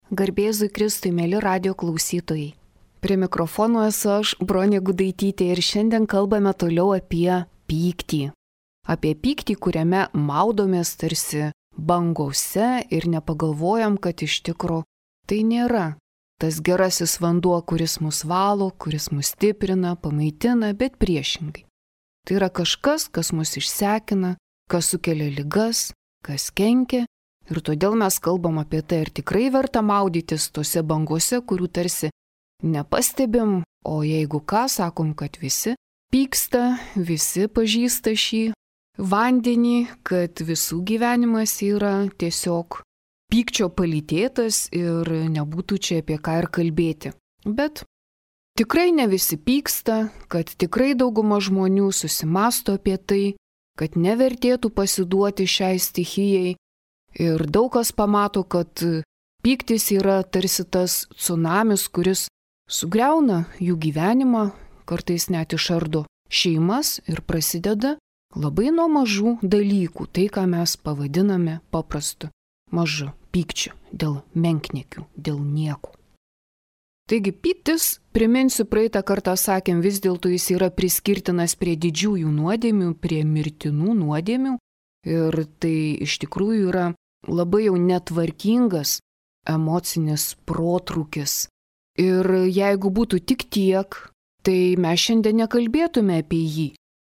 Garbėzui Kristui, mėly radio klausytojai. Prie mikrofono esu aš, Bronė Gudaitytė, ir šiandien kalbame toliau apie pyktį. Apie pyktį, kuriame maudomės tarsi bangose ir nepagalvojam, kad iš tikro tai nėra tas gerasis vanduo, kuris mus valo, kuris mus stiprina, pamaitina, bet priešingai. Tai yra kažkas, kas mus išsekina, kas sukelia ligas, kas kenkia. Ir todėl mes kalbam apie tai, ar tikrai verta maudytis tose bangose, kurių tarsi nepastebim, o jeigu ką, sakom, kad visi pyksta, visi pažįsta šį vandenį, kad visų gyvenimas yra tiesiog pykčio palytėtas ir nebūtų čia apie ką ir kalbėti. Bet tikrai ne visi pyksta, kad tikrai dauguma žmonių susimąsto apie tai, kad nevertėtų pasiduoti šiai stichijai. Ir daug kas pamato, kad pyktis yra tarsi tas tsunamis, kuris sugriauna jų gyvenimą, kartais net išardo šeimas ir prasideda labai nuo mažų dalykų, tai ką mes pavadiname paprastu mažu pykčiu, dėl menkniekių, dėl nieko. Taigi pyktis, priminsiu, praeitą kartą sakėm, vis dėlto jis yra priskirtinas prie didžiųjų nuodėmių, prie mirtinų nuodėmių. Ir tai iš tikrųjų yra labai jau netvarkingas emocinis protrūkis. Ir jeigu būtų tik tiek, tai mes šiandien nekalbėtume apie jį.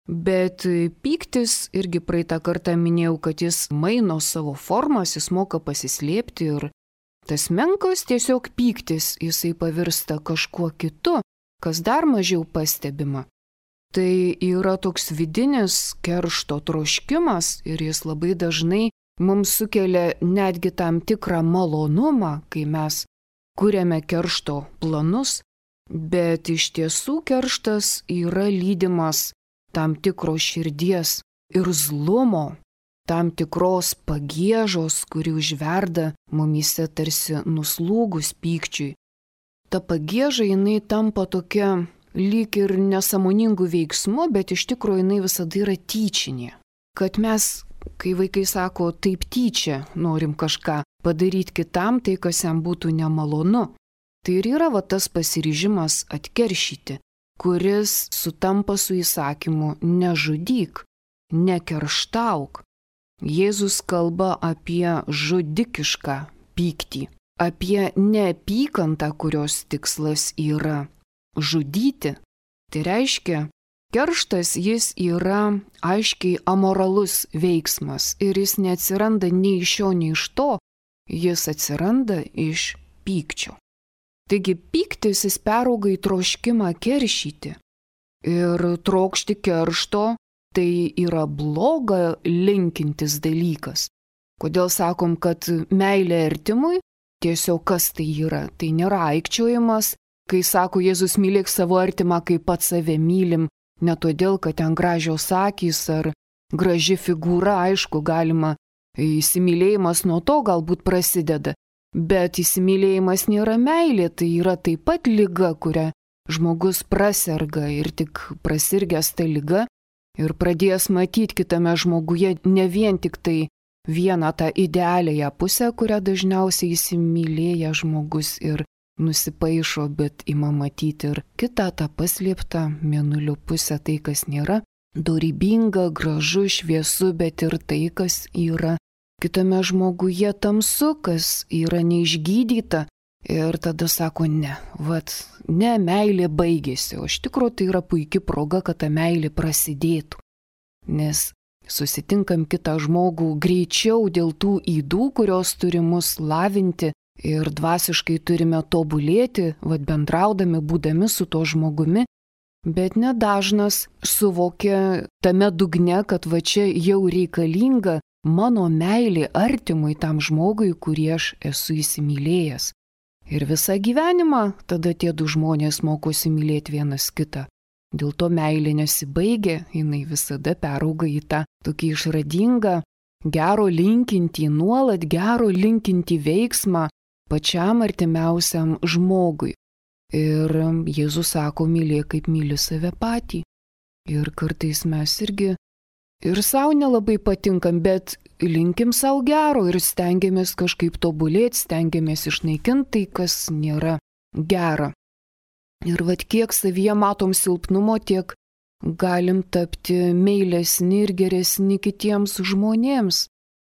Bet pyktis, irgi praeitą kartą minėjau, kad jis maino savo formas, jis moka pasislėpti ir tas menkas tiesiog pyktis, jisai pavirsta kažkuo kitu, kas dar mažiau pastebima. Tai yra toks vidinis keršto troškimas ir jis labai dažnai mums sukelia netgi tam tikrą malonumą, kai mes kuriame keršto planus, bet iš tiesų kerštas yra lydimas tam tikro širdies ir zlumo, tam tikros pagiežos, kuri užverda mumyse tarsi nuslūgus pykčiui. Ta pagieža jinai tampa tokia lyg ir nesąmoningų veiksmų, bet iš tikrųjų jinai visada yra tyčinė. Kad mes, kai vaikai sako, taip tyčia norim kažką padaryti kitam, tai kas jam būtų nemalonu. Tai ir yra va tas pasiryžimas atkeršyti, kuris sutampa su įsakymu nežudyk, nekerštauk. Jėzus kalba apie žudikišką pyktį, apie neapykantą, kurios tikslas yra žudyti. Tai reiškia, kerštas jis yra aiškiai amoralus veiksmas ir jis neatsiranda nei iš šio, nei iš to, jis atsiranda iš pykčio. Taigi pyktis jis perauga į troškimą keršyti. Ir trokšti keršto tai yra bloga linkintis dalykas. Kodėl sakom, kad meilė artimui, tiesiog kas tai yra? Tai nėra aikčiojimas. Kai sako Jėzus mylėk savo artimą, kaip pats save mylim, ne todėl, kad ten gražios akys ar graži figūra, aišku, galima, įsimylėjimas nuo to galbūt prasideda, bet įsimylėjimas nėra meilė, tai yra taip pat liga, kurią žmogus praserga ir tik prasirgęs tą ligą ir pradėjęs matyti kitame žmoguje ne vien tik tai vieną tą idealiąją pusę, kurią dažniausiai įsimylėja žmogus ir nusipaišo, bet ima matyti ir kitą tą paslėptą mėnulio pusę, tai kas nėra dorybinga, gražu, šviesu, bet ir tai, kas yra kitame žmoguje tamsu, kas yra neišgydyta. Ir tada sako, ne, meilė baigėsi, o iš tikrųjų tai yra puikia proga, kad ta meilė prasidėtų. Nes susitinkam kitą žmogų greičiau dėl tų ydų, kurios turi mus lavinti, ir dvasiškai turime tobulėti, bendraudami, būdami su tuo žmogumi, bet nedažnas suvokia tame dugne, kad čia jau reikalinga mano meilė artimui tam žmogui, kurį aš esu įsimylėjęs. Ir visą gyvenimą tada tie du žmonės mokosi mylėti vienas kitą. Dėl to meilė nesibaigia, jinai visada perauga į tą tokį išradingą, gero linkintį, nuolat gero linkintį veiksmą pačiam artimiausiam žmogui. Ir Jėzus sako, mylėk kaip myli save patį. Ir kartais mes irgi ir savo nelabai patinkam, bet linkim savo gero ir stengiamės kažkaip tobulėti, stengiamės išnaikinti tai, kas nėra gera. Ir vat kiek savyje matom silpnumo, tiek galim tapti meilesni ir geresni kitiems žmonėms.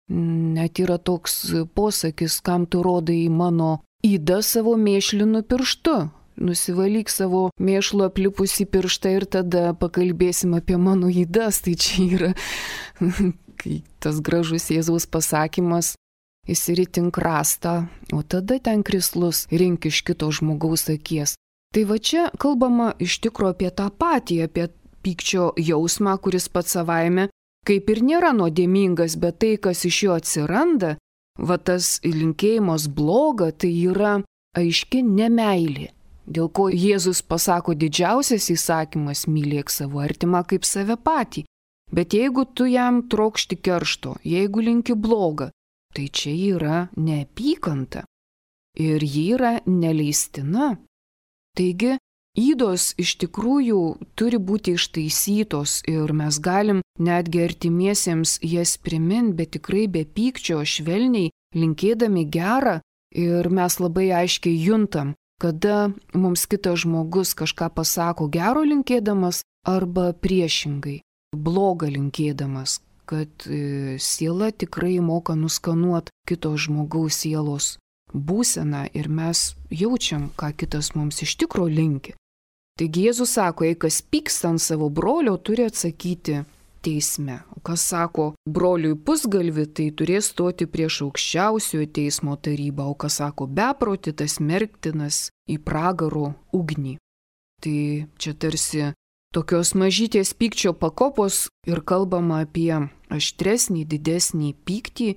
Net yra toks posakis, kam tu rodai mano ydą savo mėšlinu pirštu. Nusivalyk savo mėšlu aplipusį pirštą ir tada pakalbėsim apie mano ydas. Tai čia yra tas gražus Jėzaus pasakymas, įsiritink rastą, o tada ten krislus rink iš kito žmogaus akies. Tai va čia kalbama iš tikro apie tą patį, apie pykčio jausmą, kuris pats savaime kaip ir nėra nuodėmingas, bet tai, kas iš jo atsiranda, va tas linkėjimas bloga, tai yra aiški nemeilė. Dėl ko Jėzus pasako didžiausias įsakymas – mylėk savo artimą kaip save patį. Bet jeigu tu jam trokšti keršto, jeigu linki blogą, tai čia yra neapykanta ir ji yra neleistina. Taigi, ydos iš tikrųjų turi būti ištaisytos ir mes galim netgi artimiesiems jas priminti, bet tikrai be pykčio, švelniai, linkėdami gerą ir mes labai aiškiai juntam, kada mums kitas žmogus kažką pasako gero linkėdamas arba priešingai, blogą linkėdamas, kad siela tikrai moka nuskanuoti kito žmogaus sielos būseną ir mes jaučiam, ką kitas mums iš tikro linki. Taigi Jėzus sako, jei kas pyksta ant savo brolio, turi atsakyti teisme. O kas sako broliui pusgalvi, tai turės stoti prieš aukščiausiojo teismo tarybą, o kas sako beproti, tas smerktinas į pragaro ugnį. Tai čia tarsi tokios mažytės pykčio pakopos ir kalbama apie aštresnį, didesnį pyktį,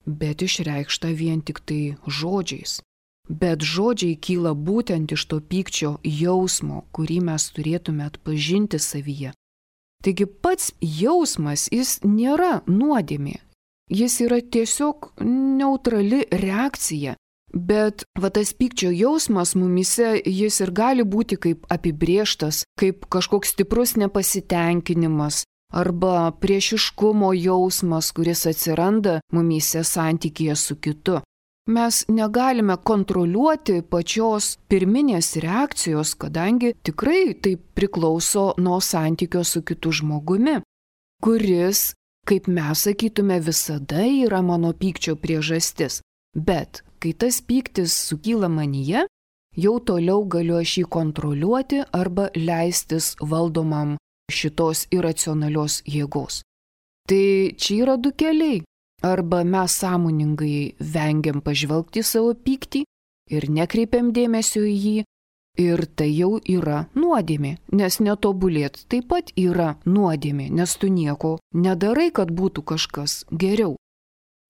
bet išreikšta vien tik tai žodžiais. Bet žodžiai kyla būtent iš to pykčio jausmo, kurį mes turėtume atpažinti savyje. Taigi pats jausmas, jis nėra nuodėmė, jis yra tiesiog neutrali reakcija, bet va tas pykčio jausmas mumyse, jis ir gali būti kaip apibrėžtas, kaip kažkoks stiprus nepasitenkinimas arba priešiškumo jausmas, kuris atsiranda mumyse santykyje su kitu. Mes negalime kontroliuoti pačios pirminės reakcijos, kadangi tikrai tai priklauso nuo santykio su kitu žmogumi, kuris, kaip mes sakytume, visada yra mano pykčio priežastis. Bet kai tas pyktis sukyla manyje, jau toliau galiu aš jį kontroliuoti arba leistis valdomam šitos iracionalios jėgos. Tai čia yra du keliai. Arba mes sąmoningai vengiam pažvelgti savo pyktį ir nekreipiam dėmesio į jį, ir tai jau yra nuodėmė, nes netobulėt taip pat yra nuodėmė, nes tu nieko nedarai, kad būtų kažkas geriau.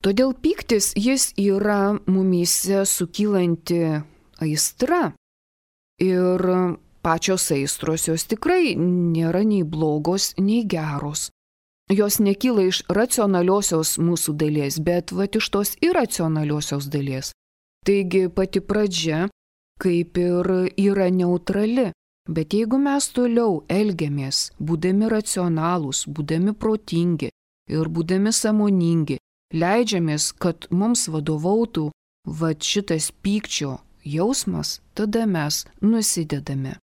Todėl pyktis jis yra mumyse sukylanti aistra ir pačios aistros jos tikrai nėra nei blogos, nei geros. Jos nekyla iš racionaliosios mūsų dalies, bet iš tos iracionaliosios dalies. Taigi pati pradžia kaip ir yra neutrali, bet jeigu mes toliau elgiamės, būdami racionalūs, būdami protingi ir būdami sąmoningi, leidžiamės, kad mums vadovautų šitas pykčio jausmas, tada mes nusidedame.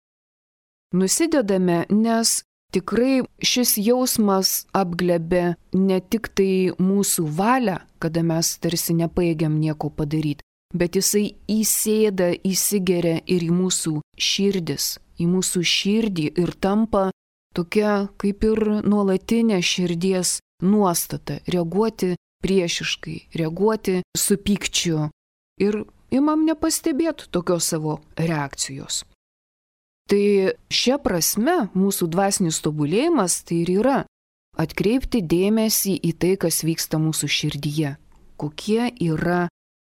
Nusidedame, nes tikrai šis jausmas apglebė ne tik tai mūsų valią, kada mes tarsi nepajėgiam nieko padaryti, bet jisai įsėda, įsigeria ir į mūsų širdis, į mūsų širdį ir tampa tokia kaip ir nuolatinė širdies nuostata, reaguoti priešiškai, reaguoti su pykčiu ir imam nepastebėti tokios savo reakcijos. Tai šia prasme mūsų dvasinis tobulėjimas tai ir yra atkreipti dėmesį į tai, kas vyksta mūsų širdyje, kokie yra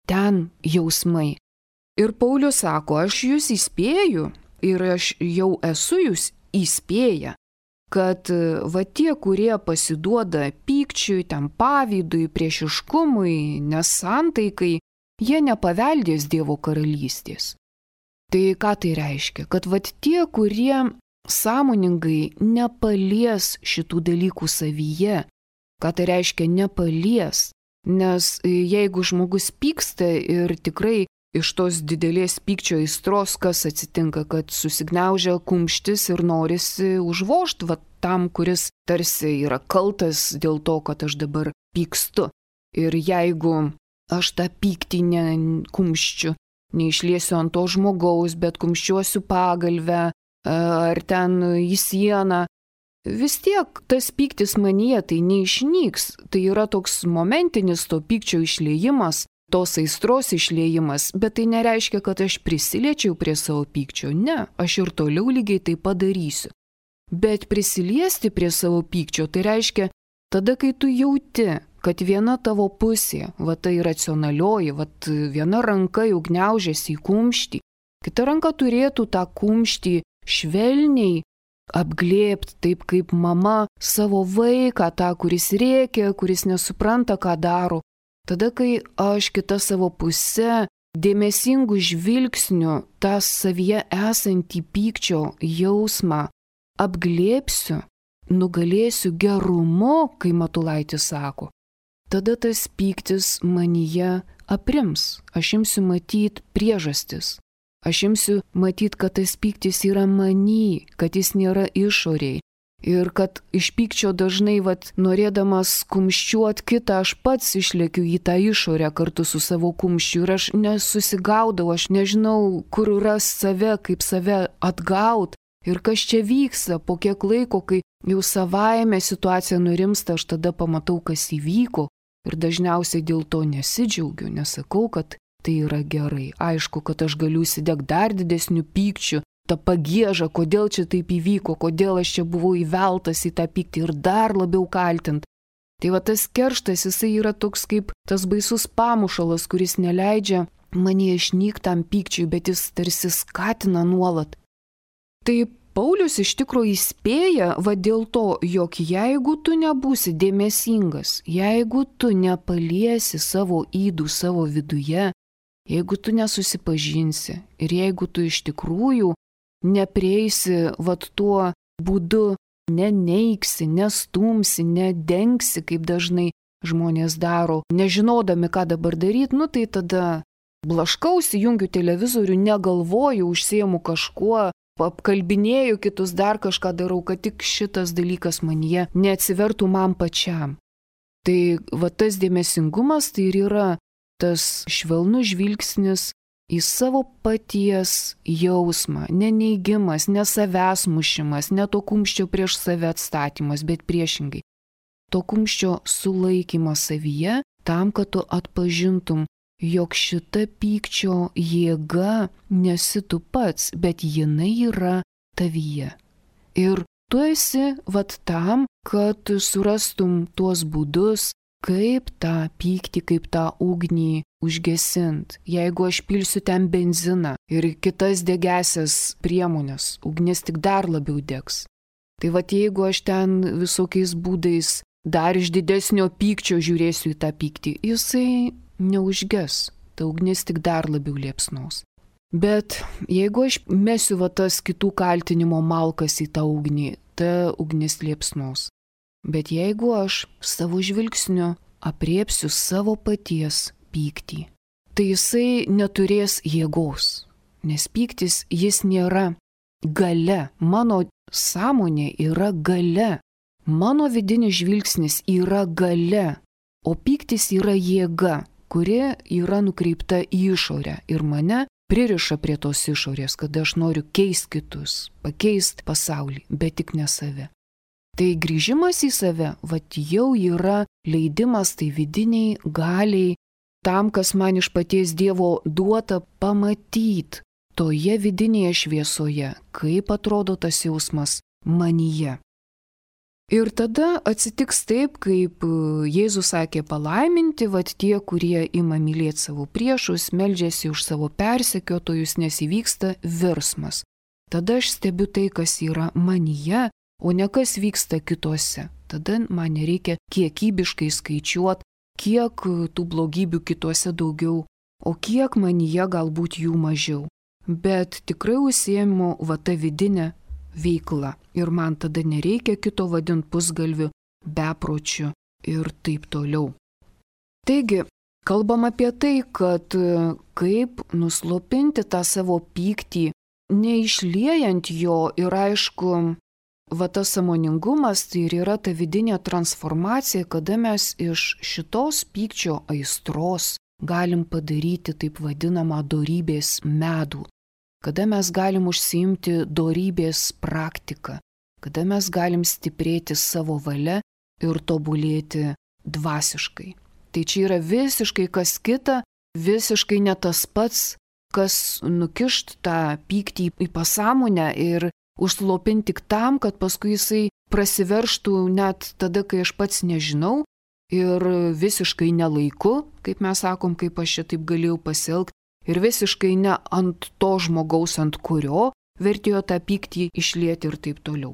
ten jausmai. Ir Paulius sako, aš jūs įspėju ir aš jau esu jūs įspėję, kad tie, kurie pasiduoda pykčiui, ten pavydui, priešiškumui, nesantaikai, jie nepaveldės Dievo karalystės. Tai ką tai reiškia? Kad tie, kurie sąmoningai nepalies šitų dalykų savyje, Ką tai reiškia nepalies? Nes jeigu žmogus pyksta ir tikrai iš tos didelės pykčio aistros, kas atsitinka, kad susigniaužia kumštis ir norisi užvožti tam, kuris tarsi yra kaltas dėl to, kad aš dabar pykstu. Ir jeigu aš tą pyktį kumščiu, neišliesiu ant to žmogaus, bet kumščiuosiu pagalvę ar ten į sieną, vis tiek tas pyktis manyje tai neišnyks. Tai yra toks momentinis to pykčio išliejimas, tos aistros išliejimas, bet tai nereiškia, kad aš prisiliečiau prie savo pykčio. Ne, aš ir toliau lygiai tai padarysiu. Bet prisiliesti prie savo pykčio tai reiškia tada, kai tu jauti, kad viena tavo pusė, tai racionalioji, viena ranka jau gniaužiasi į kumštį, kita ranka turėtų tą kumštį švelniai apglėbti, taip kaip mama savo vaiką, tą, kuris rėkia, kuris nesupranta, ką daro. Tada, kai aš kitą savo pusę dėmesingų žvilgsnių tą savyje esantį pykčio jausmą apglėbsiu, nugalėsiu gerumu, kai Matulaitis sako, tada tas pyktis manyje aprims. Aš imsiu matyti priežastis. Aš imsiu matyti, kad tas pyktis yra many, kad jis nėra išoriai. Ir kad iš pykčio dažnai, norėdamas kumščiuot kitą, aš pats išlėkiu į tą išorę kartu su savo kumščiu. Ir aš nesusigaudau, aš nežinau, kur ras save, kaip save atgaut. Ir kas čia vyksta, po kiek laiko, kai jau savaime situacija nurimsta, aš tada pamatau, kas įvyko. Ir dažniausiai dėl to nesidžiaugiu, nesakau, kad tai yra gerai. Aišku, kad aš galiu įsidegti dar didesnių pykčių, tą pagiežą, kodėl čia taip įvyko, kodėl aš čia buvau įveltas į tą pyktį ir dar labiau kaltint. Tai tas kerštas, jisai yra toks kaip tas baisus pamušalas, kuris neleidžia mane išnykti tam pykčiui, bet jis tarsi skatina nuolat. Tai Paulius iš tikrųjų įspėja dėl to, jog jeigu tu nebūsi dėmesingas, jeigu tu nepaliesi savo ydų savo viduje, jeigu tu nesusipažinsi ir jeigu tu iš tikrųjų neprieisi tuo būdu, neneigsi, nestumsi, nedengsi, kaip dažnai žmonės daro, nežinodami, ką dabar daryti, tai tada blaškausi, jungiu televizorių, negalvoju, užsiemu kažkuo, apkalbinėju kitus, dar kažką darau, kad tik šitas dalykas manyje neatsivertų man pačiam. Tai tas dėmesingumas tai ir yra tas švelnus žvilgsnis į savo paties jausmą, neneigimas, ne savęs mušimas, ne to kumščio prieš save atstatymas, bet priešingai. To kumščio sulaikymas savyje tam, kad tu atpažintum, jog šita pykčio jėga nesi tu pats, bet jinai yra tavyje. Ir tu esi tam, kad surastum tuos būdus, kaip tą pyktį, kaip tą ugnį užgesint. Jeigu aš pilsiu ten benziną ir kitas degesias priemonės, ugnis tik dar labiau degs. Tai jeigu aš ten visokiais būdais dar iš didesnio pykčio žiūrėsiu į tą pyktį, jisai neužges, ta ugnis tik dar labiau liepsnos. Bet jeigu aš mesiu tas kitų kaltinimo malkas į tą ugnį, ta ugnis liepsnos. Bet jeigu aš savo žvilgsniu apriepsiu savo paties pyktį, tai jisai neturės jėgos, nes pyktis jis nėra galia, mano sąmonė yra galia, mano vidinis žvilgsnis yra galia, o pyktis yra jėga, kuri yra nukreipta į išorę ir mane pririša prie tos išorės, kad aš noriu keisti kitus, pakeisti pasaulį, bet tik ne save. Tai grįžimas į save, jau yra leidimas tai vidiniai galiai, tam, kas man iš paties Dievo duota pamatyti toje vidinėje šviesoje, kaip atrodo tas jausmas manyje. Ir tada atsitiks taip, kaip Jėzus sakė palaiminti, tie, kurie ima mylėti savo priešus, meldžiasi už savo persekiotojus, nes įvyksta virsmas. Tada aš stebiu tai, kas yra manyje, o ne kas vyksta kituose. Tada man nereikia kiekybiškai skaičiuoti, kiek tų blogybių kituose daugiau, o kiek manyje galbūt jų mažiau. Bet tikrai užsiėmu tą vidinę veiklą ir man tada nereikia kito vadinti pusgalviu, bepročiu, ir taip toliau. Taigi, kalbam apie tai, kad kaip nuslopinti tą savo pyktį, neišliejant jo ir aišku, va tas sąmoningumas tai ir yra ta vidinė transformacija, kada mes iš šitos pykčio aistros galim padaryti taip vadinamą dorybės medų, kada mes galim užsiimti dorybės praktiką, kada mes galim stiprėti savo valia ir tobulėti dvasiškai. Tai čia yra visiškai kas kita, visiškai ne tas pats, kas nukišt tą pyktį į pasąmonę ir užslopinti tik tam, kad paskui jisai prasiverštų net tada, kai aš pats nežinau ir visiškai nelaiku, kaip mes sakom, kaip aš čia taip galėjau pasielgti, ir visiškai ne ant to žmogaus, ant kurio vertėjo tą pyktį išlieti ir taip toliau.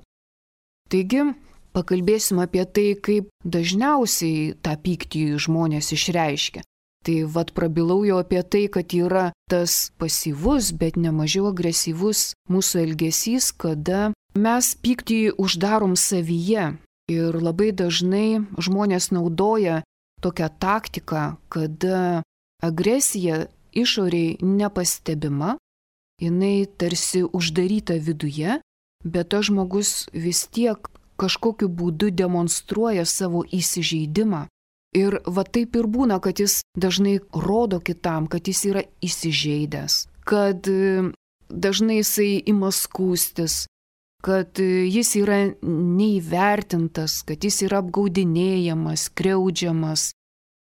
Taigi, pakalbėsim apie tai, kaip dažniausiai tą pyktį žmonės išreiškia. Tai vat prabilau jau apie tai, kad yra tas pasyvus, bet nemažiau agresyvus mūsų elgesys, kada mes pyktį uždarom savyje. Ir labai dažnai žmonės naudoja tokią taktiką, kada agresija išoriai nepastebima, jinai tarsi uždaryta viduje, bet tas žmogus vis tiek kažkokiu būdu demonstruoja savo įsižeidimą. Ir va taip ir būna, kad jis dažnai rodo kitam, kad jis yra įsižeidęs, kad dažnai jisai ima skųstis, kad jis yra neįvertintas, kad jis yra apgaudinėjamas, skriaudžiamas.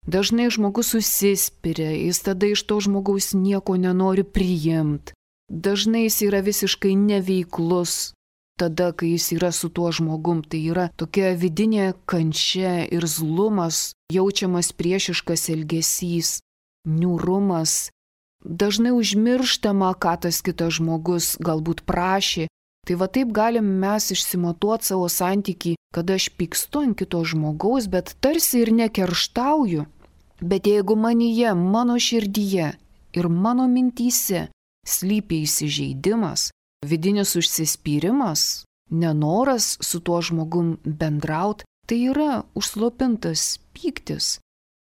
Dažnai žmogus susispiria, jis tada iš to žmogaus nieko nenori priimti. Dažnai jis yra visiškai neveiklus. Tada, kai jis yra su tuo žmogum, tai yra tokia vidinė kančia ir zlumas, jaučiamas priešiškas elgesys, niūrumas. Dažnai užmirštama, ką tas kitas žmogus galbūt prašė. Tai va taip galim mes išsimatuoti savo santykį, kad aš pykstu ant kito žmogaus, bet tarsi ir nekerštauju. Bet jeigu manyje, mano širdyje ir mano mintyse slypi įsižeidimas, vidinis užsispyrimas, nenoras su tuo žmogum bendraut, tai yra užslopintas pyktis.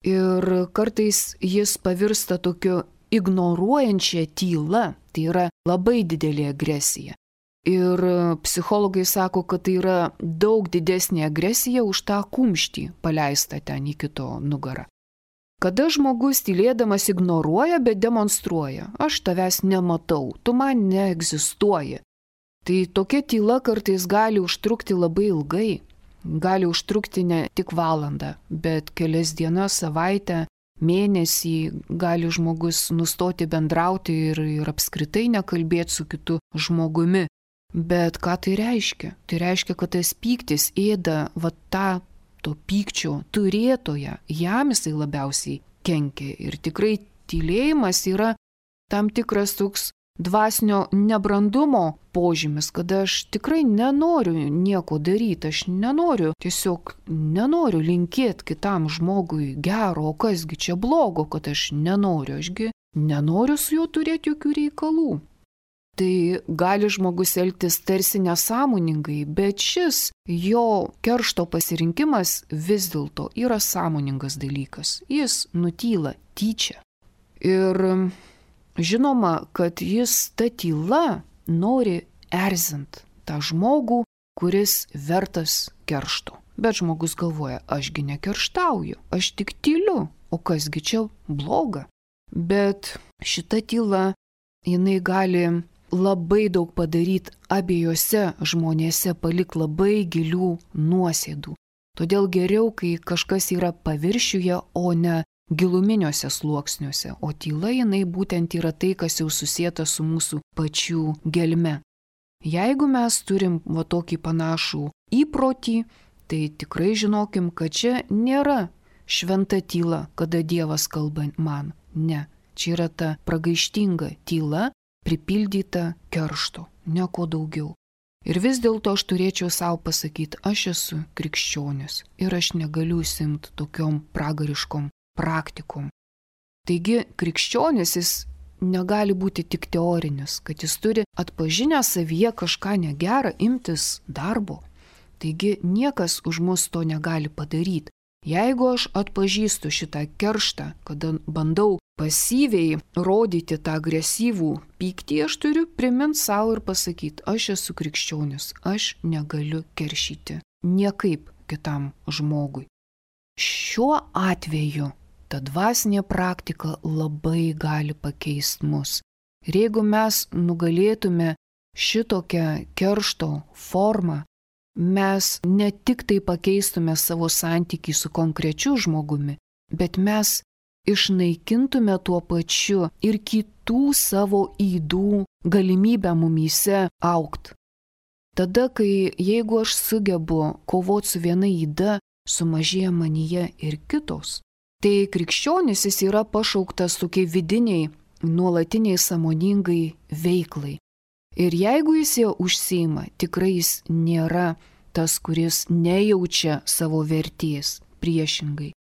Ir kartais jis pavirsta tokiu ignoruojančia tyla, tai yra labai didelė agresija. Ir psichologai sako, kad tai yra daug didesnė agresija už tą kumštį paleistą ten į kito nugarą. Kada žmogus tylėdamas ignoruoja, bet demonstruoja, aš tavęs nematau, tu man neegzistuoji. Tai tokia tyla kartais gali užtrukti labai ilgai, gali užtrukti ne tik valandą, bet kelias dienas, savaitę, mėnesį gali žmogus nustoti bendrauti ir apskritai nekalbėti su kitu žmogumi. Bet ką tai reiškia? Tai reiškia, kad tas pyktis ėda va tą to pykčio turėtoją, jam jisai labiausiai kenkia. Ir tikrai tylėjimas yra tam tikras toks dvasinio nebrandumo požymis, kada aš tikrai nenoriu nieko daryti, aš tiesiog nenoriu linkėti kitam žmogui gero, o kasgi čia blogo, kad aš ašgi nenoriu su juo turėti jokių reikalų. Tai gali žmogus elgtis tarsi nesąmoningai, bet šis jo keršto pasirinkimas vis dėlto yra sąmoningas dalykas. Jis nutyla tyčia. Ir žinoma, kad jis ta tyla nori erzint tą žmogų, kuris vertas keršto. Bet žmogus galvoja, ašgi nekerštauju, aš tik tyliu, o kasgi čia bloga. Bet šita tyla, jinai gali labai daug padaryti abiejose žmonėse, palik labai gilių nuosėdų. Todėl geriau, kai kažkas yra paviršiuje, o ne giluminiuose sluoksniuose, o tyla jinai būtent yra tai, kas jau susieta su mūsų pačių gelme. Jeigu mes turim va tokį panašų įprotį, tai tikrai žinokim, kad čia nėra šventa tyla, kada Dievas kalba man. Ne, čia yra ta pragaištinga tyla, pripildyta keršto, nieko daugiau. Ir vis dėlto aš turėčiau savo pasakyti, aš esu krikščionis ir aš negaliu užsiimti tokiom pragariškom praktikom. Taigi krikščionis jis negali būti tik teorinis, kad jis turi atpažinę savyje kažką negerą imtis darbo. Taigi niekas už mus to negali padaryti. Jeigu aš atpažįstu šitą kerštą, kada bandau pasyviai rodyti tą agresyvų pyktį, aš turiu priminti savo ir pasakyti, aš esu krikščionis, aš negaliu keršyti niekaip kitam žmogui. Šiuo atveju ta dvasinė praktika labai gali pakeisti mus. Ir jeigu mes nugalėtume šitokią keršto formą, mes ne tik tai pakeistume savo santykį su konkrečiu žmogumi, bet mes išnaikintume tuo pačiu ir kitų savo ydų galimybę mumyse augt. Tada, jeigu aš sugebu kovoti su viena yda, sumažėja manyje ir kitos. Tai krikščionis jis yra pašauktas tokiai vidiniai, nuolatiniai sąmoningai veiklai. Ir jeigu jis jau užsiima, tikrai jis nėra tas, kuris nejaučia savo vertės, priešingai.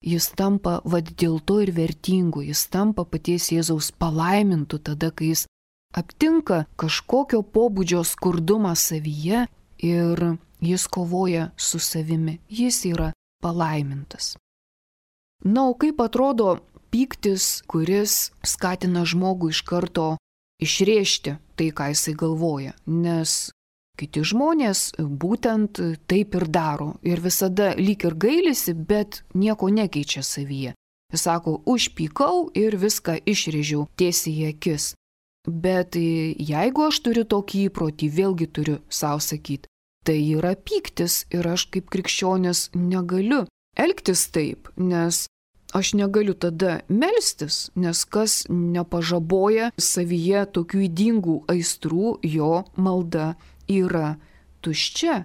Jis tampa dėl to ir vertingu, jis tampa paties Jėzaus palaimintu tada, kai jis aptinka kažkokio pobūdžio skurdumą savyje ir jis kovoja su savimi, jis yra palaimintas. Na, o kaip atrodo pyktis, kuris skatina žmogų iš karto išrėžti tai, ką jisai galvoja, nes kiti žmonės būtent taip ir daro ir visada lyg ir gailisi, bet nieko nekeičia savyje. Jis sako, užpykau ir viską išrėžiau tiesiai į akis. Bet jeigu aš turiu tokį įprotį, vėlgi turiu savo sakyti, tai yra pyktis ir aš kaip krikščionis negaliu elgtis taip, nes aš negaliu tada melstis, nes kas nepažaboja savyje tokių ydingų aistrų, jo malda yra tuščia.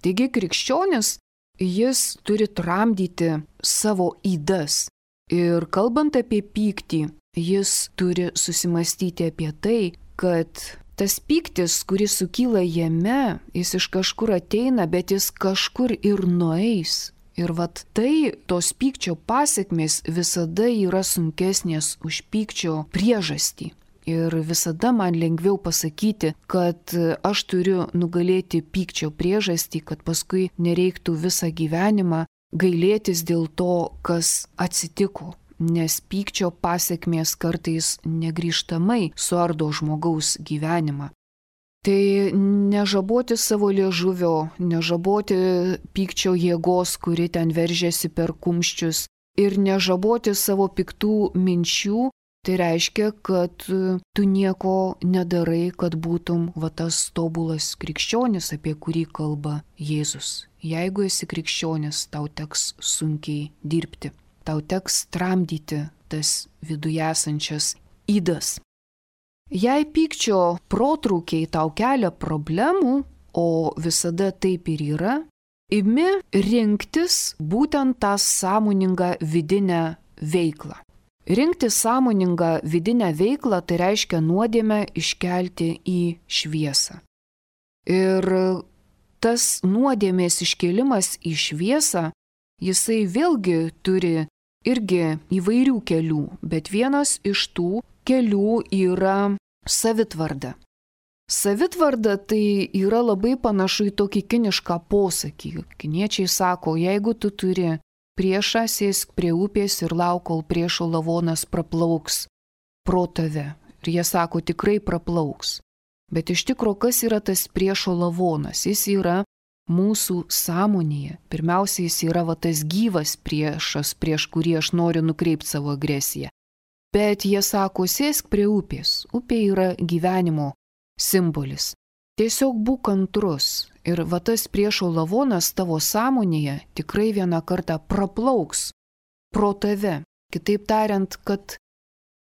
Taigi krikščionis, jis turi tramdyti savo ydas. Ir kalbant apie pyktį, jis turi susimastyti apie tai, kad tas pyktis, kuris sukyla jame, jis iš kažkur ateina, bet jis kažkur ir nueis. Ir tai, tos pykčio pasekmės visada yra sunkesnės už pykčio priežastį. Ir visada man lengviau pasakyti, kad aš turiu nugalėti pykčio priežastį, kad paskui nereiktų visą gyvenimą gailėtis dėl to, kas atsitiko. Nes pykčio pasekmės kartais negrįžtamai suardo žmogaus gyvenimą. Tai nežaboti savo liežuvio, nežaboti pykčio jėgos, kuri ten veržiasi per kumščius ir nežaboti savo piktų minčių, tai reiškia, kad tu nieko nedarai, kad būtum tas tobulas krikščionis, apie kurį kalba Jėzus. Jeigu esi krikščionis, tau teks sunkiai dirbti, tau teks tramdyti tas viduje esančias ydas. Jei pykčio protrūkiai tau kelia problemų, o visada taip ir yra, imi rinktis būtent tą sąmoningą vidinę veiklą. Rinkti sąmoningą vidinę veiklą tai reiškia nuodėmę iškelti į šviesą. Ir tas nuodėmės iškėlimas į šviesą, jisai vėlgi turi irgi įvairių kelių, bet vienas iš tų kelių yra savitvarda. Savitvarda tai yra labai panašu į tokį kinišką posakį. Kiniečiai sako, jeigu tu turi priešą, sėsk prie upės ir lauk, kol priešo lavonas praplauks pro tave. Ir jie sako, tikrai praplauks. Bet iš tikro, kas yra tas priešo lavonas? Jis yra mūsų sąmonėje. Pirmiausia, jis yra tas gyvas priešas, prieš kurį aš noriu nukreipti savo agresiją. Bet jie sako, sėsk prie upės. Upė yra gyvenimo simbolis. Tiesiog būk kantrus ir tas priešo lavonas tavo sąmonėje tikrai vieną kartą praplauks pro tave. Kitaip tariant, kad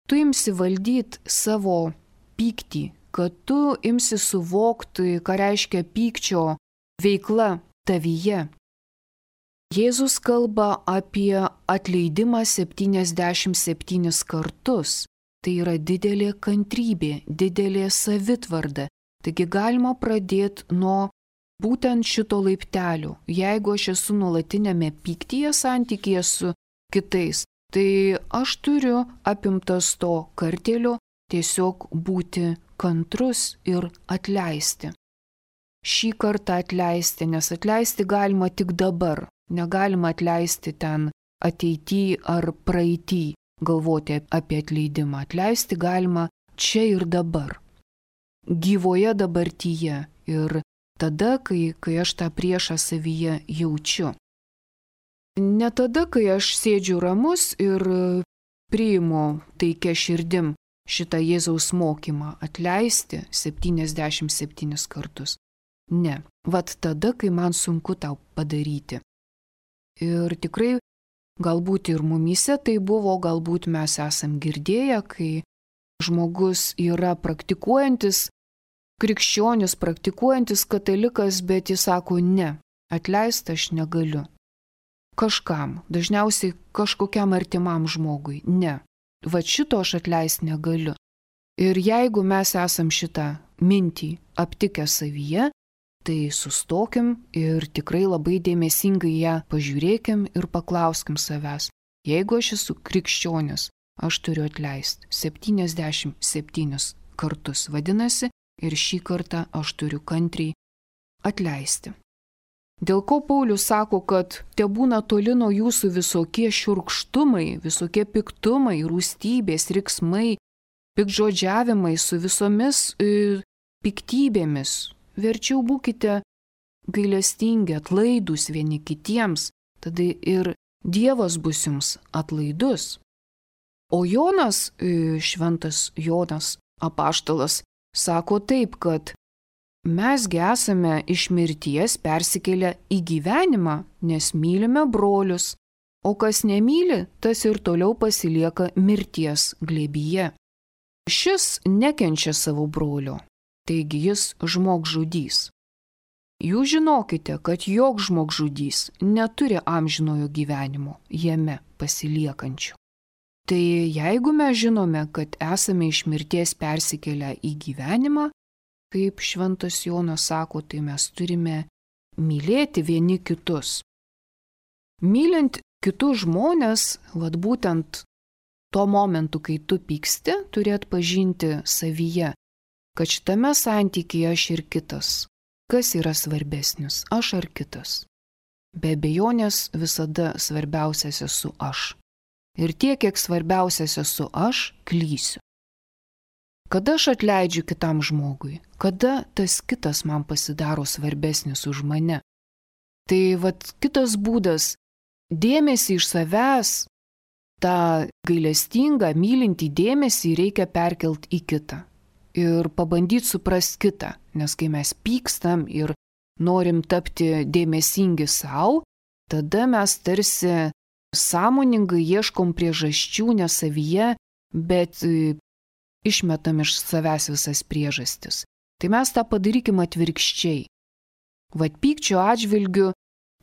tu imsi valdyti savo pyktį, kad tu imsi suvokti, ką reiškia pykčio veikla tavyje. Jėzus kalba apie atleidimą 77 kartus. Tai yra didelė kantrybė, didelė savitvarda. Taigi galima pradėti nuo būtent šito laiptelio. Jeigu aš esu nuolatinėme pyktyje santykyje su kitais, tai aš turiu apimtas to kartėlio tiesiog būti kantrus ir atleisti. Šį kartą atleisti, nes atleisti galima tik dabar. Negalima atleisti ten ateityje ar praeitį, galvoti apie atleidimą. Atleisti galima čia ir dabar. Gyvoje dabartyje ir tada, kai aš tą priešą savyje jaučiu. Ne tada, kai aš sėdžiu ramus ir priimu taikia širdim šitą Jėzaus mokymą atleisti 77 kartus. Ne, vat tada, kai man sunku tau padaryti. Ir tikrai galbūt ir mumyse tai buvo, galbūt mes esam girdėję, kai žmogus yra praktikuojantis, krikščionis, praktikuojantis katalikas, bet jis sako ne, atleisti aš negaliu. Kažkam, dažniausiai kažkokiam artimam žmogui, ne. Va šito aš atleisti negaliu. Ir jeigu mes esam šitą mintį aptikę savyje, tai sustokim ir tikrai labai dėmesingai ją pažiūrėkim ir paklauskim savęs. Jeigu aš esu krikščionis, aš turiu atleisti 77 kartus. Vadinasi, ir šį kartą aš turiu kantriai atleisti. Dėl ko Paulius sako, kad tebūna toli nuo jūsų visokie šiurkštumai, visokie piktumai, rūstybės, riksmai, piktžodžiavimai su visomis piktybėmis. Verčiau būkite gailestingi, atlaidūs vieni kitiems, tada ir Dievas bus jums atlaidus. O Jonas, šventas Jonas apaštalas, sako taip, kad mesgi esame iš mirties persikėlę į gyvenimą, nes mylime brolius, o kas nemyli, tas ir toliau pasilieka mirties glėbyje. Šis nekenčia savo brolio, taigi jis žmogžudys. Jūs žinokite, kad joks žmogžudys neturi amžinojo gyvenimo jame pasiliekančių. Tai jeigu mes žinome, kad esame iš mirties persikėlę į gyvenimą, kaip šventas Jonas sako, tai mes turime mylėti vieni kitus. Mylint kitus žmonės, vat būtent tuo momentu, kai tu pyksti, turi atpažinti savyje, kad šitame santykyje aš ir kitas. Kas yra svarbesnis, aš ar kitas? Be abejonės visada svarbiausias esu aš. Ir tiek, kiek svarbiausias esu aš, klysiu. Kada aš atleidžiu kitam žmogui? Kada tas kitas man pasidaro svarbesnis už mane? Tai vat kitas būdas – dėmesį iš savęs, tą gailestingą, mylintį dėmesį reikia perkelt į kitą. Ir pabandyti suprasti kitą, nes kai mes pykstam ir norim tapti dėmesingi savo, tada mes tarsi sąmoningai ieškom priežasčių ne savyje, bet išmetam iš savęs visas priežastis. Tai mes tą padarykim atvirkščiai. Vat pykčio atžvilgiu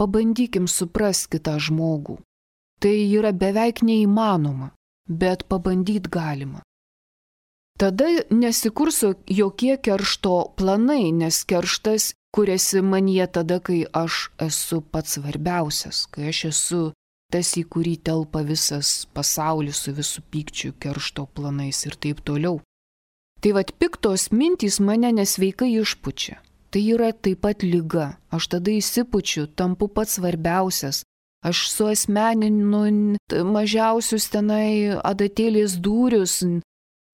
pabandykim suprasti kitą žmogų. Tai yra beveik neįmanoma, bet pabandyti galima. Tada nesikursiu jokie keršto planai, nes kerštas kuriasi manyje tada, kai aš esu pats svarbiausias, kai aš esu tas, į kurį telpa visas pasaulis su visų pykčių, keršto planais ir taip toliau. Tai vat piktos mintys mane nesveikai išpučia. Tai yra taip pat liga. Aš tada įsipučiu, tampu pats svarbiausias. Aš suasmeninu mažiausius tenai adatėlės dūrius.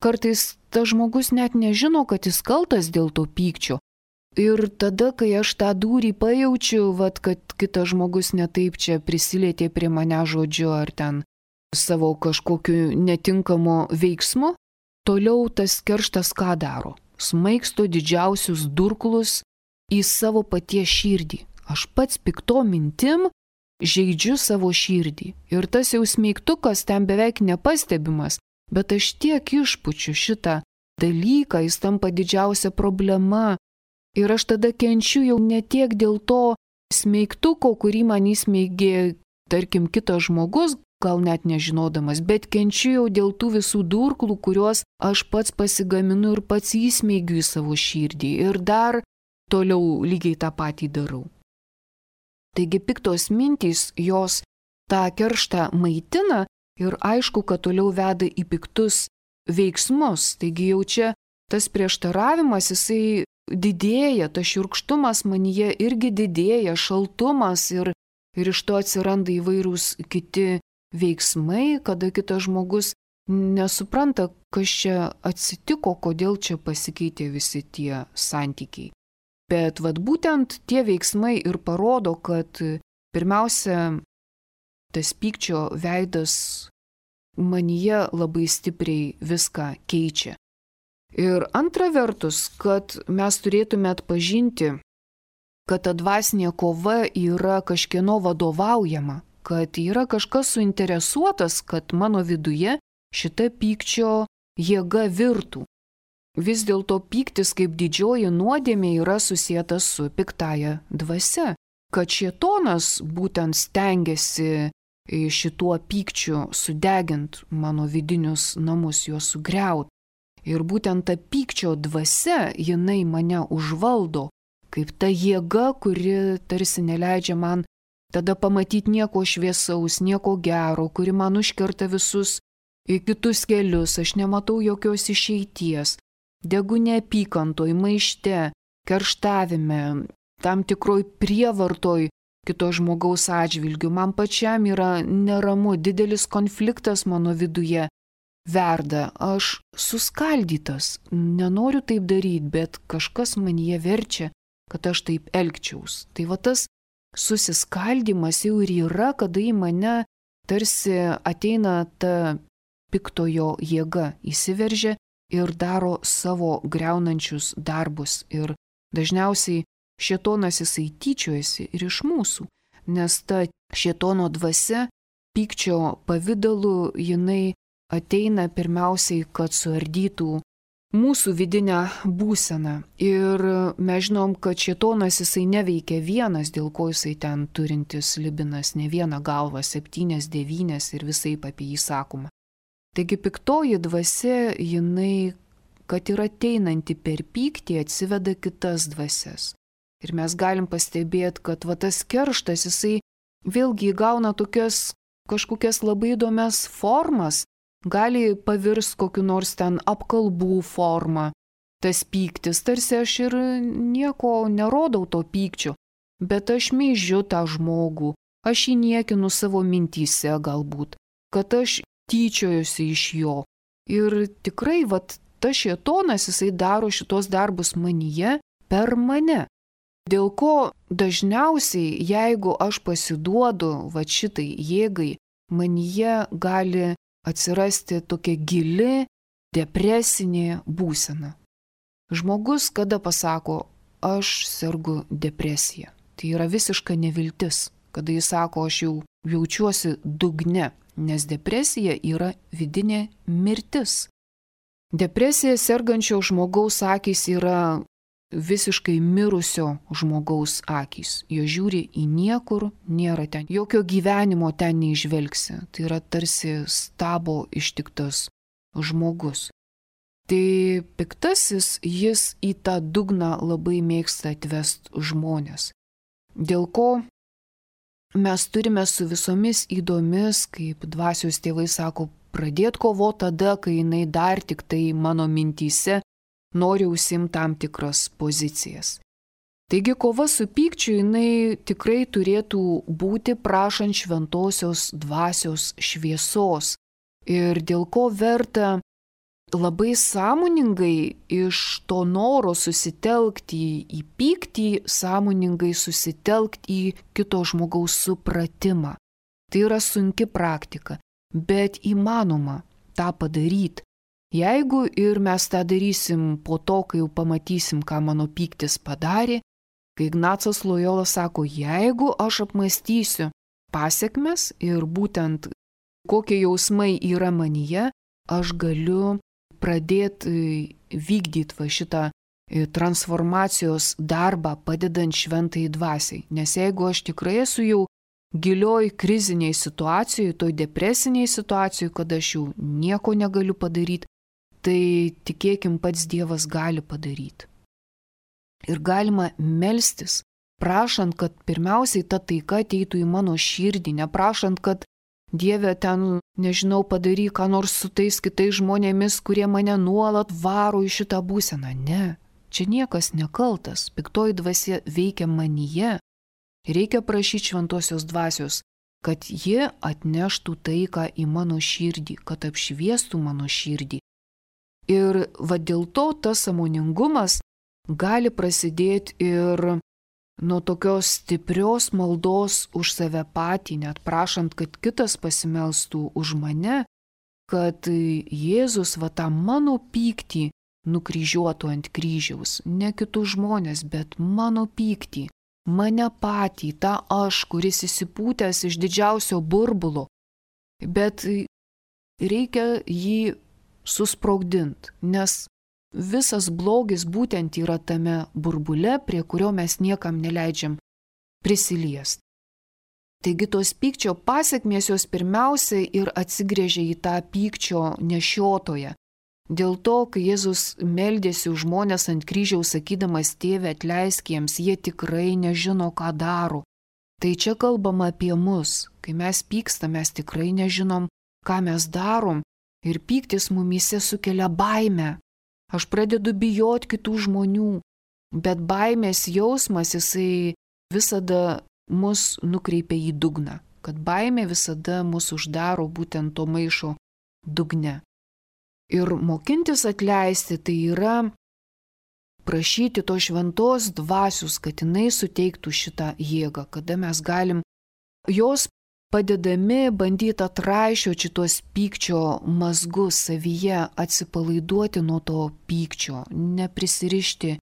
Kartais tas žmogus net nežino, kad jis kaltas dėl to pykčio. Ir tada, kai aš tą dūrį pajaučiu, vat, kad kitas žmogus netaip čia prisilietė prie mane žodžiu ar ten savo kažkokiu netinkamu veiksmu, toliau tas kerštas ką daro? Smaigsto didžiausius durklus į savo paties širdį. Aš pats pikto mintim žeidžiu savo širdį. Ir tas jau smeigtukas ten beveik nepastebimas, bet aš tiek išpučiu šitą dalyką, jis tampa didžiausia problema. Ir aš tada kenčiu jau ne tiek dėl to smeigtuko, kurį man įsmeigė, tarkim, kitas žmogus, gal net nežinodamas, bet kenčiu jau dėl tų visų durklų, kuriuos aš pats pasigaminu ir pats įsmeigiu į savo širdį. Ir dar toliau lygiai tą patį darau. Taigi piktos mintys, jos tą kerštą maitina ir aišku, kad toliau veda į piktus veiksmus. Taigi jau čia tas prieštaravimas, jisai didėja, tas šiurkštumas manyje irgi didėja, šaltumas ir ir iš to atsiranda įvairūs kiti veiksmai, kada kitas žmogus nesupranta, kas čia atsitiko, kodėl čia pasikeitė visi tie santykiai. Bet vat būtent tie veiksmai ir parodo, kad pirmiausia, tas pykčio veidas manyje labai stipriai viską keičia. Ir antra vertus, kad mes turėtume atpažinti, kad ta dvasinė kova yra kažkieno vadovaujama, kad yra kažkas suinteresuotas, kad mano viduje šita pykčio jėga virtų. Vis dėlto pyktis kaip didžioji nuodėmė yra susietas su piktaja dvasia, kad šėtonas būtent stengiasi šituo pykčiu sudegint mano vidinius namus, juos sugriaut. Ir būtent ta pykčio dvasia, jinai mane užvaldo, kaip ta jėga, kuri tarsi neleidžia man tada pamatyti nieko šviesaus, nieko gero, kuri man užkerta visus kitus kelius, aš nematau jokios išeities. Degu neapykantoj, maište, kerštavime, tam tikroj prievartoj kito žmogaus atžvilgiu. Man pačiam yra neramu, didelis konfliktas mano viduje verda. Aš suskaldytas, nenoriu taip daryti, bet kažkas manyje verčia, kad aš taip elgčiaus. Tai va tas susiskaldymas jau ir yra, kada į mane tarsi ateina ta piktojo jėga, įsiveržia ir daro savo griaunančius darbus. Ir dažniausiai šėtonas jisai tyčiojasi ir iš mūsų, nes ta šėtono dvasia pykčio pavidalu jinai ateina pirmiausiai, kad suardytų mūsų vidinę būseną. Ir mes žinom, kad šėtonas jisai neveikia vienas, dėl ko jisai ten turintis libinas, ne vieną galvą, 7, 9 ir visaip apie jį sakoma. Taigi piktoji dvasia, jinai, kad ir ateinanti per pyktį, atsiveda kitas dvasias. Ir mes galim pastebėti, kad va tas kerštas, jisai vėlgi įgauna tokias kažkokias labai įdomias formas, gali pavirsti kokiu nors ten apkalbų formą. Tas pyktis, tarsi aš ir nieko nerodau to pykčio, bet aš meižiu tą žmogų, aš jį niekinu savo mintyse galbūt, kad aš tyčiojusi iš jo. Ir tikrai, vat, tas šėtonas, jisai daro šitos darbus manyje per mane. Dėl ko dažniausiai, jeigu aš pasiduodu vat šitai jėgai, manyje gali atsirasti tokia gili depresinė būsena. Žmogus, kada pasako, aš sergu depresija, tai yra visiška neviltis, kada jis sako, aš jau jaučiuosi dugne, nes depresija yra vidinė mirtis. Depresija sergančio žmogaus akys yra visiškai mirusio žmogaus akys. Jo žiūri į niekur, nėra ten, jokio gyvenimo ten neižvelgsi. Tai yra tarsi stabo ištiktas žmogus. Tai piktasis, jis į tą dugną labai mėgsta atvest žmonės. Dėl ko mes turime su visomis įdomis, kaip dvasios tėvai sako, pradėti kovoti tada, kai jinai dar tik tai mano mintyse nori užsimti tam tikras pozicijas. Taigi kova su pykčiu jinai tikrai turėtų būti prašant šventosios dvasios šviesos. Ir dėl ko verta labai sąmoningai iš to noro susitelkti į pyktį, sąmoningai susitelkti į kito žmogaus supratimą. Tai yra sunki praktika, bet įmanoma tą padaryti. Jeigu ir mes tą darysim po to, kai jau pamatysim, ką mano pyktis padarė, kai Ignacas Lojola sako, jeigu aš apmąstysiu pasekmes ir būtent kokie jausmai yra manyje, aš galiu pradėti vykdyti va šitą transformacijos darbą padedant šventai dvasiai. Nes jeigu aš tikrai esu jau gilioj kriziniai situacijoje, toj depresiniai situacijoje, kad aš jau nieko negaliu padaryti, tai tikėkim pats Dievas gali padaryti. Ir galima melstis, prašant, kad pirmiausiai ta taika ateitų į mano širdį, neprašant, kad Dieve ten, nežinau, padaryk ką nors su tais kitais žmonėmis, kurie mane nuolat varo į šitą būseną. Ne, čia niekas nekaltas, piktoji dvasia veikia manyje. Reikia prašyti šventosios dvasios, kad ji atneštų taiką į mano širdį, kad apšviestų mano širdį. Ir va dėl to tas sąmoningumas gali prasidėti ir nuo tokios stiprios maldos už save patį, net prašant, kad kitas pasimelstų už mane, kad Jėzus va tą mano pyktį nukryžiuotų ant kryžiaus, ne kitus žmonės, bet mano pyktį, mane patį, tą aš, kuris įsipūtęs iš didžiausio burbulo, bet reikia jį susprogdinti, nes visas blogis būtent yra tame burbule, prie kurio mes niekam neleidžiam prisiliesti. Taigi tos pykčio pasekmės jos pirmiausia ir atsigrėžia į tą pykčio nešiotoją. Dėl to, kai Jėzus meldėsi už žmones ant kryžiaus, sakydamas, Tėve, atleisk jiems, jie tikrai nežino, ką daro. Tai čia kalbama apie mus. Kai mes pykstam, mes tikrai nežinom, ką mes darom, ir pyktis mumyse sukelia baimę. Aš pradedu bijoti kitų žmonių, bet baimės jausmas jisai visada mus nukreipia į dugną, kad baimė visada mus uždaro būtent to maišo dugne. Ir mokintis atleisti tai yra prašyti to šventos dvasios, kad jinai suteiktų šitą jėgą, kada mes galim jos padedami bandyti atraišioti šitos pykčio mazgus savyje, atsipalaiduoti nuo to pykčio, neprisirišti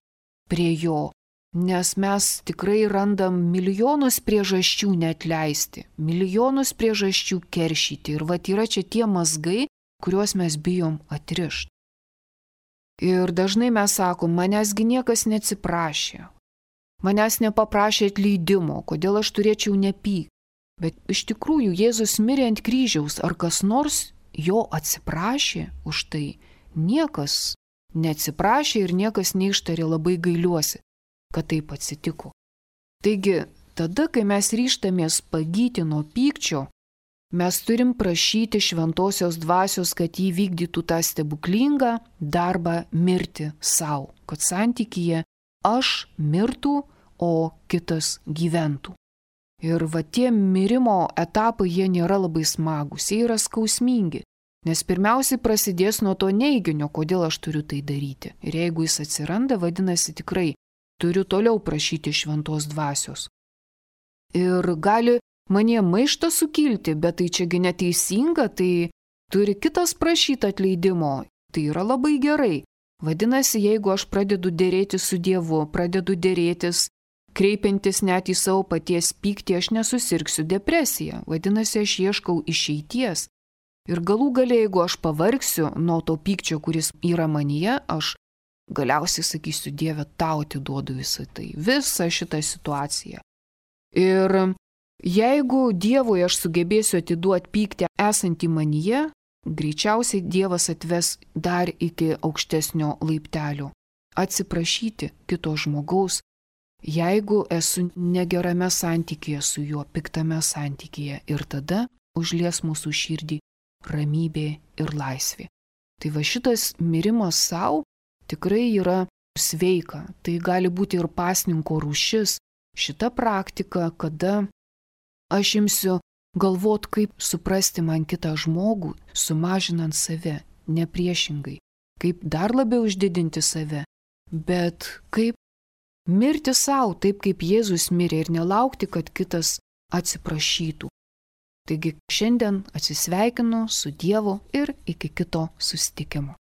prie jo, nes mes tikrai randam milijonus priežasčių neatleisti, milijonus priežasčių keršyti ir vat yra čia tie mazgai, kuriuos mes bijom atrišti. Ir dažnai mes sakom, manęsgi niekas neatsiprašė, manęs nepaprašė atleidimo, kodėl aš turėčiau nepykti. Bet iš tikrųjų Jėzus mirė ant kryžiaus, ar kas nors jo atsiprašė už tai? Niekas neatsiprašė ir niekas neištarė labai gailiuosi, kad taip atsitiko. Taigi, tada, kai mes ryžtamės pagyti nuo pykčio, mes turim prašyti šventosios dvasios, kad jį vykdytų tą stebuklingą darbą mirti savo, kad santykyje aš mirtų, o kitas gyventų. Ir va tie mirimo etapai, jie nėra labai smagus, jie yra skausmingi, nes pirmiausiai prasidės nuo to neiginio, kodėl aš turiu tai daryti. Ir jeigu jis atsiranda, vadinasi tikrai turiu toliau prašyti šventos dvasios. Ir gali manie maištas sukilti, bet tai čiagi neteisinga, tai turi kitas prašyti atleidimo, tai yra labai gerai. Vadinasi, jeigu aš pradedu dėrėtis su Dievu, pradedu dėrėtis, kreipiantis net į savo paties pyktį, aš nesusirgsiu depresiją. Vadinasi, aš ieškau išeities. Ir galų gale, jeigu aš pavargsiu nuo to pykčio, kuris yra manyje, aš galiausiai sakysiu, Dieve, tau atiduodu visą tai, visą šitą situaciją. Ir jeigu Dievui aš sugebėsiu atiduoti pyktį esantį manyje, greičiausiai Dievas atves dar iki aukštesnio laiptelio. Atsiprašyti kito žmogaus, jeigu esu negerame santykyje su juo, piktame santykyje, ir tada užlies mūsų širdį ramybė ir laisvė. Tai va šitas mirimas savo tikrai yra sveika. Tai gali būti ir pasninko rūšis. Šita praktika, kada aš imsiu galvot, kaip suprasti man kitą žmogų, sumažinant save, ne priešingai. Kaip dar labiau išdidinti save, bet kaip mirti savo, taip kaip Jėzus mirė ir nelaukti, kad kitas atsiprašytų. Taigi šiandien atsisveikinu su Dievu ir iki kito susitikimo.